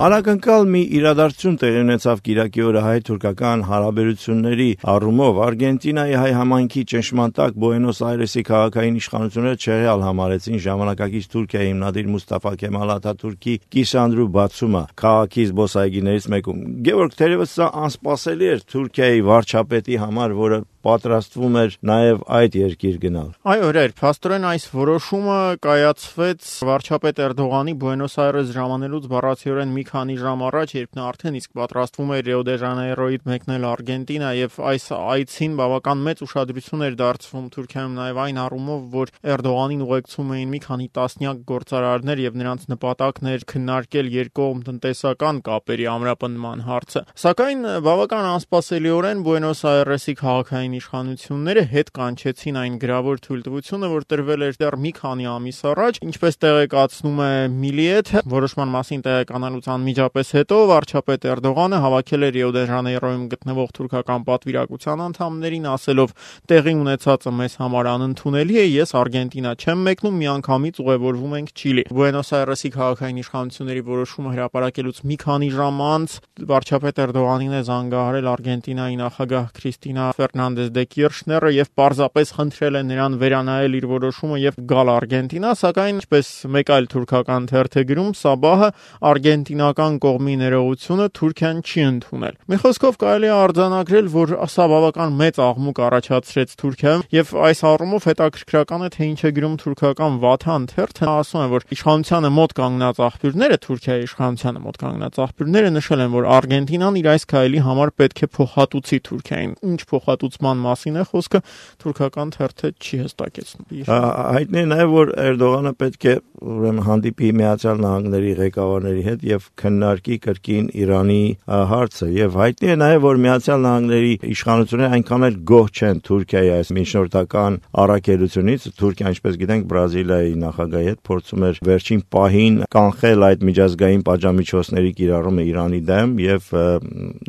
Անակնկալ մի իրադարձություն տեղի ունեցավ կիրակի օրը հայ-թուրքական հարաբերությունների առումով։ Արգենտինայի հայ համայնքի ճնշման տակ Բուենոս Այրեսի քաղաքային իշխանությունները չեղյալ համարեցին ժամանակակից Թուրքիայի հիմնադիր Մուստաֆա Քեմալ Աթաթուրքի կիսանդրու բացումը քաղաքի զբոսայգիներից մեկում։ Գևորգ, թերևս սա անսպասելի էր Թուրքիայի վարչապետի համար, որը պատրաստվում էր նաև այդ երկիր գնալ։ Այո, հրեր, փաստորեն այս որոշումը կայացվեց վարչապետ Էրդողանի Բուենոս Այրես ժամանելուց բառացիորեն մի քանի ժամ առաջ, երբ նա արդեն իսկ պատրաստվում էր Ռիո դե Ժանեյրոյից մեկնել Արգենտինա, եւ այս այցին բավական մեծ ուշադրություն էր դարձվում Թուրքիայում նաև այն առումով, որ Էրդողանին ուղեկցում էին մի քանի տասնյակ գործարարներ եւ նրանց նպատակն էր քննարկել երկկողմ տնտեսական կապերի ամրապնդման հարցը։ Սակայն բավական անսպասելիորեն Բուենոս Այրեսի քաղաքային իշխանությունները հետ կանչեցին այն գրավոր թույլտվությունը, որ տրվել էր դեռ մի քանի ամիս առաջ, ինչպես տեղեկացնում է Միլիեթը, որոշման մասին տեղեկանալուց անմիջապես հետո վարչապետ Էրդողանը հավաքել էր Ռիո դե Ժանեյրոյում գտնվող թուրքական պատվիրակության անդամներին, ասելով. «Տեղի ունեցածը մեզ համար անընդունելի է, ես Արգենտինա չեմ մեկնում, միանգամից ուղևորվում ենք Չիլի»։ Բուենոս Այրեսի քաղաքային իշխանությունների որոշումը հրապարակելուց մի քանի ժամ անց վարչապետ Էրդողանին է զանգահարել Արգենտինայի նախագահ Քրիստինա Ֆերնանդես դե Կիրշները եւ պարզապես խնդրել է նրան վերանայել իր որոշումը եւ գալ Արգենտինա, սակայն ինչպես մեկ այլ թուրքական թերթ է գրում, Սաբահը արգենտինական կողմի ներողությունը Թուրքիան չի ընդունել։ Մի խոսքով կարելի է արձանագրել, որ սա բավական մեծ աղմուկ առաջացրեց Թուրքիայում եւ այս առումով հետաքրքրական է, թե ինչ է գրում թուրքական Վաթան թերթը։ Նա ասում է, որ իշխանությանը մոտ կանգնած աղբյուրները, Թուրքիայի իշխանությանը մոտ կանգնած աղբյուրները նշել են, որ Արգենտինան իր այս քայլի համար պետք է փոխհատուցի Թուրքիային։ Ինչ փոխհատուցման մասին է խոսքը, թուրքական թերթը չի հստակեցնում։ Հայտնի է նաև, որ Էրդողանը պետք է ուրեմն հանդիպի Միացյալ Նահանգների ղեկավարների հետ եւ քննարկի կրկին Իրանի հարցը, եւ հայտնի է նաև, որ Միացյալ Նահանգների իշխանությունները այնքան էլ գոհ չեն Թուրքիայի այս միջնորդական առաքելությունից։ Թուրքիան, ինչպես գիտենք, Բրազիլիայի նախագահի հետ փորձում էր վերջին պահին կանխել այդ միջազգային պատժամիջոցների կիրառումը Իրանի դեմ եւ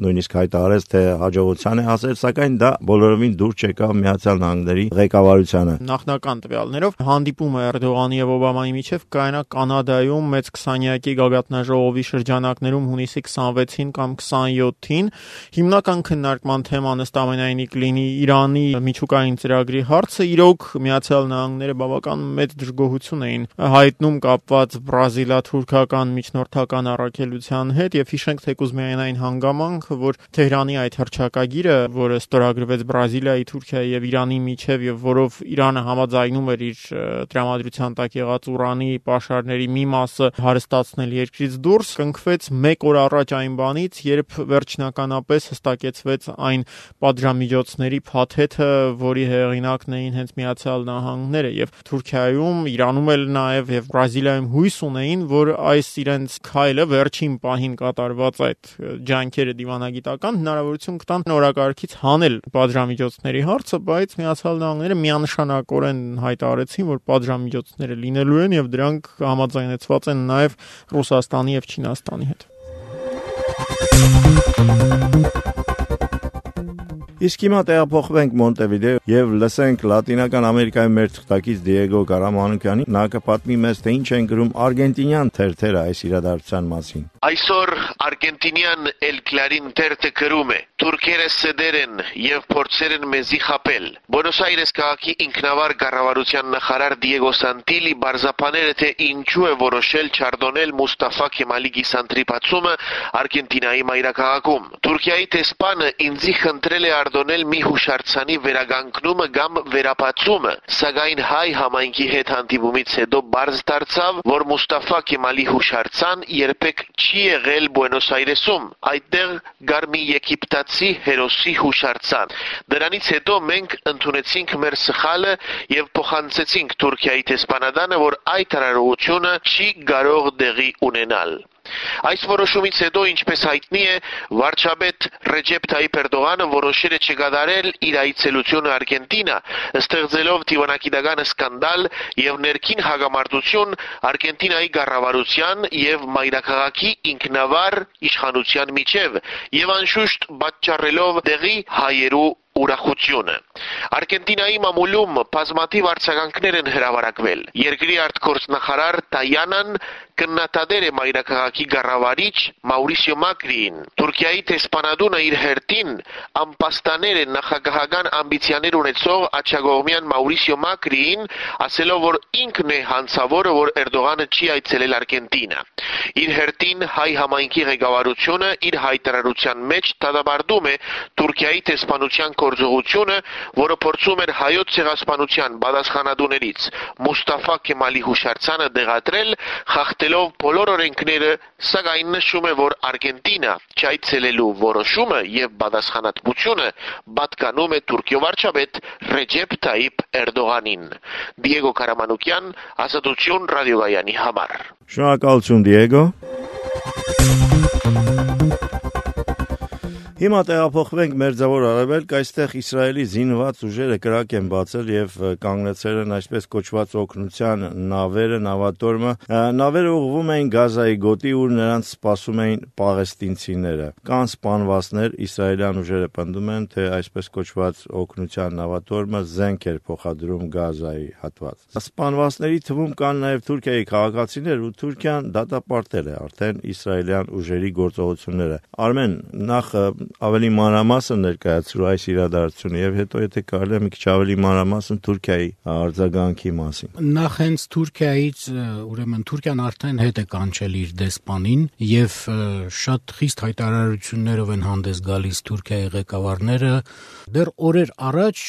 նույնիսկ հայտարարեց, թե հաջողության է հասել, սակայն դա բոլորովին դուր չեկավ Միացյալ Նահանգների ղեկավարությանը։ Նախնական տվյալներով հանդիպումը Էրդողանի եւ Օբամայի միջև կայանա Կանադայում մեծ 20-յակի գագաթնաժողովի շրջանակներում հունիսի 26-ին կամ 27-ին։ Հիմնական քննարկման թեման ըստ ամենայնի կլինի Իրանի միջուկային ծրագրի հարցը։ Իրոք Միացյալ Նահանգները բավական մեծ դժգոհություն էին հայտնում կապված բրազիլա-թուրքական միջնորդական առաքելության հետ եւ հիշենք թեկուզ միայն այն հանգամանքը, որ Թեհրանի այդ հռչակագիրը, որը ստորագրվեց Բրազիլիայի, Թուրքիայի եւ Իրանի միջև եւ որով Իրանը համաձայնում էր իր տրամադրության տակ եղած ուրանի պաշարների մի մասը հարստացնել երկրից դուրս, կնքվեց մեկ օր առաջ այն բանից, երբ վերջնականապես հստակեցվեց այն պատժամիջոցների փաթեթը, որի հեղինակն էին հենց Միացյալ Նահանգները եւ Թուրքիայում, Իրանում էլ նաեւ եւ Բրազիլիայում հույս ունեին, որ այս իրենց քայլը վերջին պահին կատարված այդ ջանքերը դիվանագիտական հնարավորություն կտան նորակարգից հանել պատժամիջոցների հարցը, բայց Միացյալ Նահանգները միանշանակորեն հայտարարեցին, որ պատժամիջոցները լինելու են եւ դրանք համաձայնեցված են նաեւ Ռուսաստանի եւ Չինաստանի հետ։ Իսկ հիմա տեղափոխվենք Մոնտեվիդեո եւ լսենք Լատինական Ամերիկայի մեր թղթակից Դիեգո Կարամանուկյանի։ Նա կպատմի մեզ, թե ինչ են գրում արգենտինյան թերթերը այս իրադարձության մասին։ Այսօր արգենտինյան El Clarín թերթը գրում է. Թուրքերը սդեր են եւ փորձեր են մեզի խապել։ Բուենոս Այրես քաղաքի ինքնավար կառավարության նախարար Դիեգո Սանտիլի բարձրապանել է, թե ինչու է որոշել չարդոնել Մուստաֆա Քեմալի գիսանդրի բացումը Արգենտինայի մայրաքաղաքում։ Թուրքիայի տեսփանը ինձի խնդրել է արտոնել մի հուշարձանի վերագանքնումը կամ վերապացումը, սակայն հայ համայնքի հետ հանդիպումից հետո բարձ դարձավ, որ Մուստաֆա Քեմալի հուշարձան երբեք չի եղել Բուենոս Այրեսում, այդտեղ կար մի եգիպտացի հերոսի հուշարձան։ Դրանից հետո մենք ընդունեցինք մեր սխալը եւ փոխանցեցինք Թուրքիայի տեսփանադանը, որ այդ արարողությունը չի կարող տեղի ունենալ։ Այս որոշումից հետո, ինչպես հայտնի է, վարչապետ Ռեջեփ Թայիփ Էրդողանը որոշել է չկատարել իր այցելությունը Արգենտինա, ստեղծելով դիվանագիտական սկանդալ եւ ներքին հակամարտություն Արգենտինայի կառավարության եւ մայրաքաղաքի ինքնավար իշխանության միջև եւ անշուշտ պատճառելով տեղի հայերու ուրախությունը։ Արգենտինայի մամուլում բազմաթիվ արձագանքներ են հրավառակվել։ Երկրի արտգործնախարար Տայանան կննադատել է մայրաքաղաքի ղեկավարիչ Մաուրիսիո Մակրիին։ Թուրքիայի տեսփանադունը իր հերթին ամպաստաներ է նախագահական ամբիցիաներ ունեցող աջակողմյան Մաուրիսիո Մակրիին, ասելով, որ ինքն է հանցավորը, որ Էրդողանը չի այցելել Արգենտինա։ Իր հերթին հայ համայնքի ղեկավարությունը իր հայտարարության մեջ դատապարտում է Թուրքիայի տեսփանության գործողությունը, որը փորձում էր հայոց ցեղասպանության պատասխանատուներից Մուստաֆա Քեմալի հուշարձանը դեղատրել, խախտելով բոլոր օրենքները, սակայն նշում է, որ Արգենտինա չայցելելու որոշումը եւ պատասխանատվությունը պատկանում է Թուրքիո վարչապետ Ռեջեփ Թայիփ Էրդողանին։ Դիեգո Կարամանուկյան, Ազատություն ռադիոյանի համար։ Շնորհակալություն Դիեգո։ Հիմա տեղափոխվենք Մերձավոր Արևելք, այստեղ Իսրայելի զինված ուժերը կրակ են բացել եւ կանգնեցել են այսպես կոչված օգնության նավերը, նավատորմը։ Նավերը ուղղվում էին Գազայի գոտի, ուր նրանց սպասում էին պաղեստինցիները։ Կան սպանվածներ, իսրայելյան ուժերը պնդում են, թե այսպես կոչված օգնության նավատորմը զենք էր փոխադրում Գազայի հատված։ Սպանվածների թվում կան նաեւ Թուրքիայի քաղաքացիներ, ու Թուրքիան դատապարտել է արդեն իսրայելյան ուժերի գործողությունները։ Արմեն, նախ ավելի մանրամասն ներկայացրու այս իրադարձությունը եւ հետո եթե կարելի է մի քիչ ավելի մանրամասն Թուրքիայի արձագանքի մասին։ Նախ հենց Թուրքիայից, ուրեմն Թուրքիան արդեն հետ է կանչել իր դեսպանին եւ շատ խիստ հայտարարություններով են հանդես գալիս Թուրքիայի ղեկավարները։ Դեռ օրեր առաջ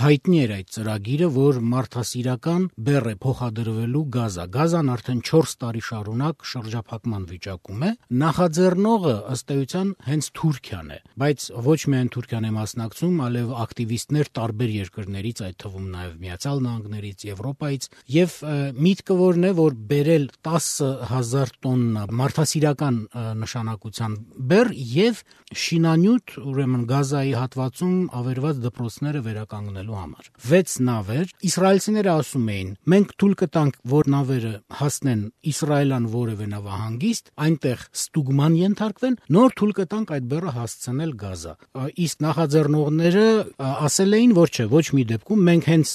հայտնի էր այդ ծրագիրը, որ մարդասիրական բեռ է փոխադրվելու Գազա։ Գազան արդեն 4 տարի շարունակ շրջափակման վիճակում է։ Նախաձեռնողը ըստ էության հենց Թուրքիան է, բայց ոչ միայն Թուրքիան է մասնակցում, այլև ակտիվիստներ տարբեր երկրներից, այդ թվում նաև Միացյալ Նահանգներից, Եվրոպայից, եւ միտքը որն է, որ բերել 10,000 տոննա մարդասիրական նշանակության բեռ եւ շինանյութ, ուրեմն Գազայի հատվածում ավերված դպրոցները վերականգնելու համար։ 6 նավեր, իսրայելցիները ասում էին, մենք թույլ կտանք, որ նավերը հասնեն Իսրայելյան որևէ նավահանգիստ, այնտեղ ստուգման ենթարկվեն, նոր թույլ կտանք այդ բեռը հասցնել Գազա։ Իսկ նախաձեռնողները ասել էին, որ չէ, ոչ մի դեպքում մենք հենց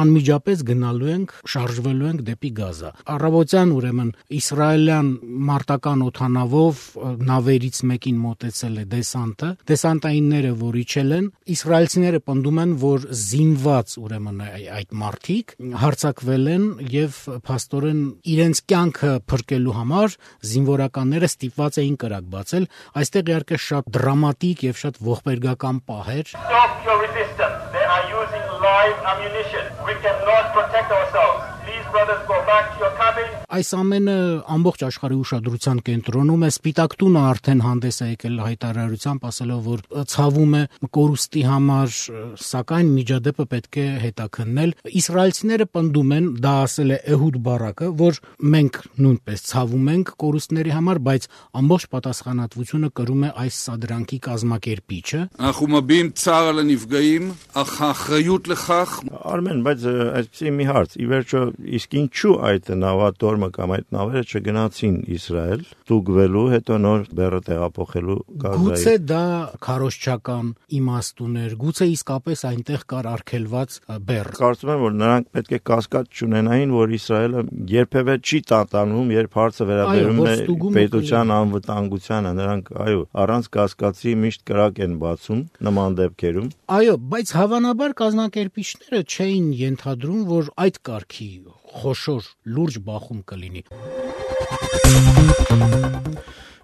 անմիջապես գնալու ենք, շարժվելու ենք դեպի Գազա։ Առավոտյան ուրեմն իսրայելյան մարտական օդանավով նավերից մեկին մոտեցել է դեսանտը, դեսանտայինները, որ իջել են, իսրայելցիները պնդում են, որ զինված ուրեմն այդ մարդիկ հարձակվել են եւ փաստորեն իրենց կյանքը փրկելու համար զինվորականները ստիպված էին կրակ բացել։ Այստեղ իհարկե շատ դրամատիկ եւ շատ ողբերգական պահ էր։ Stop your resistance. They are using live ammunition. We cannot protect ourselves. Please, brothers, go back to your cabin. Այս ամենը ամբողջ աշխարհի ուշադրության կենտրոնում է։ Սպիտակ տունը արդեն հանդես է եկել հայտարարությամբ, ասելով, որ ցավում է կորուստի համար, սակայն միջադեպը պետք է հետաքննել։ Իսրայելցիները պնդում են, դա ասել է Էհուդ Բարակը, որ մենք նույնպես ցավում ենք կորուստների համար, բայց ամբողջ պատասխանատվությունը կրում է այս սադրանքի կազմակերպիչը։ אנחנו מביעים צער על הנפגעים, אך האחריות לכך Արմեն, բայց այսպեսի մի հարց, ի վերջո իսկ ինչու այդ նավատորմը կամ այդ նավերը չգնացին Իսրայել, ստուգվելու, հետո նոր բեռը տեղափոխելու Գազայի։ Գուցե դա քարոզչական իմաստ ուներ, գուցե իսկապես այնտեղ կար արգելված բեռ։ Կարծում եմ, որ նրանք պետք է կասկած չունենային, որ Իսրայելը երբևէ չի տատանում, երբ հարցը վերաբերում է պետության անվտանգությանը, նրանք առանց կասկածի միշտ կրակ են բացում նման դեպքերում։ Այո, բայց հավանաբար կազմակերպիչները չէին ենթադրում, որ այդ կարգի խոշոր լուրջ բախում կլինի։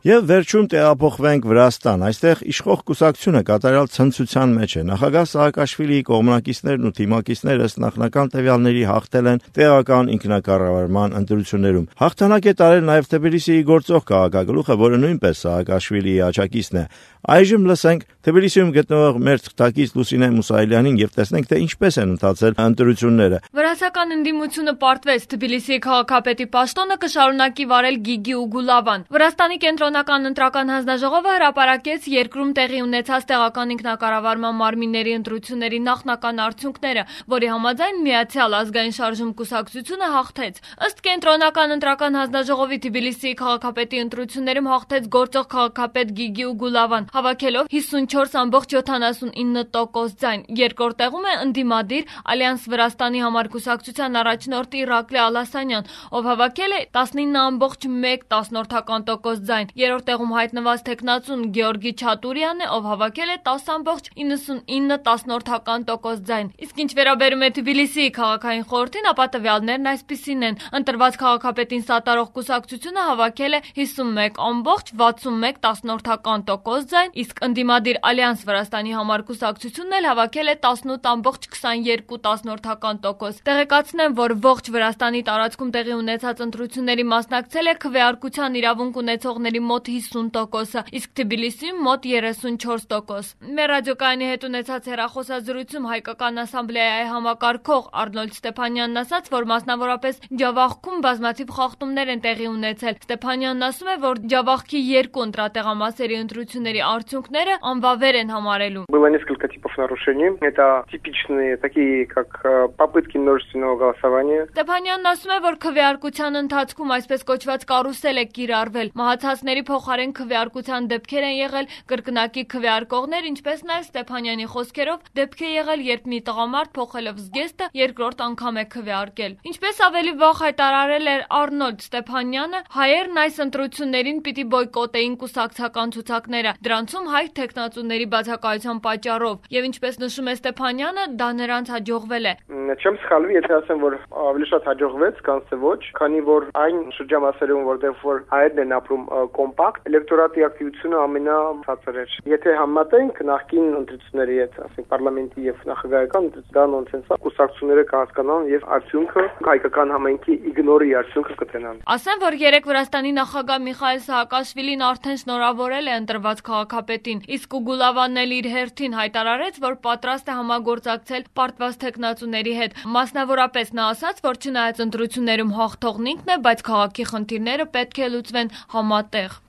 Եվ վերջում տեղափոխվենք Վրաստան։ Այստեղ իշխող կուսակցությունը կատարյալ ցնցության մեջ է։ Նախագահ Սաակաշվիլիի կողմնակիցներն ու թիմակիցները ըստ նախնական տվյալների հաղթել են տեղական ինքնակառավարման ընտրություններում։ Հաղթանակ է տարել նաև Թբիլիսիի գործող քաղաքագլուխը, որը նույնպես Սաակաշվիլիի աջակիցն է։ Այժմ լսենք Թբիլիսիում գտնվող մեր թղթակից Լուսինե Մուսայելյանին եւ տեսնենք, թե ինչպես են ընթացել ընտրությունները։ Վրացական ընդդիմությունը պարտվեց Թբիլիսիի քաղաքապետի պաշտոնը կշարունակի վարել Գիգի Ուգուլավան։ Վրաստանի կենտրոն Կենտրոնական ընտրական հանձնաժողովը հրապարակեց երկրում տեղի ունեցած տեղական ինքնակառավարման մարմինների ընտրությունների նախնական արդյունքները, որի համաձայն Միացյալ ազգային շարժում կուսակցությունը հաղթեց։ Ըստ Կենտրոնական ընտրական հանձնաժողովի Թբիլիսիի քաղաքապետի ընտրություններում հաղթեց գործող քաղաքապետ Գիգիու Գուլավան, հավաքելով 54.79% ձայն։ Երկրորդ տեղում է ընդդիմադիր Ալյանս Վրաստանի համար կուսակցության առաջնորդ Իրակլի Ալասանյան, ով հավաքել է 19.1% ձայն։ Երրորդ տեղում հայտնված թեկնածուն Գեորգի Չատուրյանն է, ով հավաքել է 10.99% ձայն։ Իսկ ինչ վերաբերում է Թբիլիսիի քաղաքային խորհրդին, ապա տվյալներն այսպիսին են. ընտրված քաղաքապետին սատարող կուսակցությունը հավաքել է 51.61% ձայն, իսկ ընդդիմադիր Ալյանս Վրաստանի համար կուսակցությունն էլ հավաքել է 18.22%։ Տեղեկացնեմ, որ ողջ Վրաստանի տարածքում տեղի ունեցած ընտրությունների մասնակցել է քվեարկության իրավունք ունեցողների մոտ 50%, իսկ Թբիլիսիում մոտ 34%։ Մեր ռադիոկայանի հետ ունեցած հեռախոսազրույցում Հայկական ասամբլեայի համակարգող Արնոլդ Ստեփանյանն ասաց, որ մասնավորապես Ջավախքում բազմաթիվ խախտումներ են տեղի ունեցել։ Ստեփանյանն ասում է, որ Ջավախքի երկու ընտրատեղամասերի ընտրությունների արդյունքները անվավեր են համարելու։ Было несколько типов нарушений. Это типичные, такие как попытки множественного голосования. Ստեփանյանն ասում է, որ քվեարկության ընթացքում այսպես կոչված կարուսել է կիրառվել։ Մահացածների փոխարեն քվեարկության դեպքեր են եղել, կրկնակի քվեարկողներ, ինչպես նաև Ստեփանյանի խոսքերով դեպք է եղել, երբ մի տղամարդ փոխելով զգեստը երկրորդ անգամ է քվեարկել։ Ինչպես ավելի վաղ հայտարարել էր Արնոլդ Ստեփանյանը, հայերն այս ընտրություններին պիտի բոյկոտեին կուսակցական ցուցակները, դրանցում հայ թեկնածուների բացակայության պատճառով, եւ ինչպես նշում է Ստեփանյանը, դա նրանց հաջողվել է։ Չեմ սխալվի, եթե ասեմ, որ ավելի շատ հաջողվեց, քան թե ոչ, քանի որ այն շրջամասերում, որտեղ որ հայերն են ապրում կոմպակտ, էլեկտորատի ակտիվությունը ամենացածր էր։ Եթե համատենք նախկին ընտրությունների հետ, ասենք պարլամենտի եւ նախագահական ընտրությունների, դա նոնսենս է, կուսակցությունները կհասկանան եւ արդյունքը հայկական համայնքի իգնորի արդյունքը կտենան։ Ասեմ, որ երեք Վրաստանի նախագահ Միխայել Սահակաշվիլին արդեն շնորհավորել է ընտրված քաղաքապետին, իսկ Գուլավանն էլ իր հերթին հայտարարեց, որ պատրաստ է համագործակցել պարտված թեկնածուների հետ։ Մասնավորապես նա ասաց, որ չնայած ընտրություններում հաղթողն ինքն է, բայց քաղաքի խնդիրները պետք է լուծվեն համատեղ։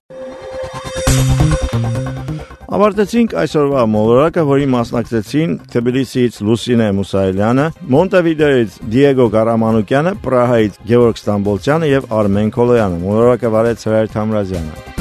Ավարտեցինք այսօրվա մոլորակը, որի մասնակցեցին Թբիլիսիից Լուսինե Մուսայելյանը, Մոնտեվիդեոից Դիեգո Գարամանուկյանը, Պրահայից Գևորգ Ստամբոլցյանը եւ Արմեն Քոլոյանը։ Մոլորակը վարեց Հրայր Թամրազյանը։